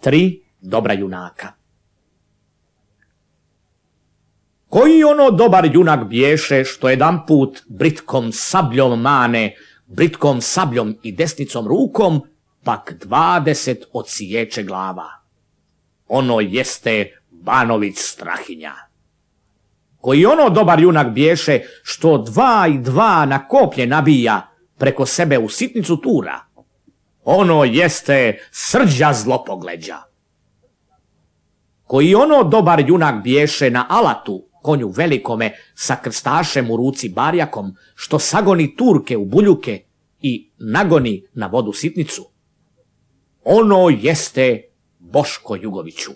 3 dobra junaka. Koji ono dobar junak biješe, što jedan put britkom sabljom mane, britkom sabljom i desnicom rukom, pak 20 odsječe glava. Ono jeste Banović Strahinja. Koji ono dobar junak biješe, što 2 i 2 na koplje nabija, preko sebe u sitnicu tura. Ono jeste Srđa Zlopogleđa. Koji ono dobar junak biješe na alatu, konju velikome, sa krstašem u ruci barjakom, što sagoni Turke u buljuke i nagoni na vodu sitnicu. Ono jeste Boško Jugoviću.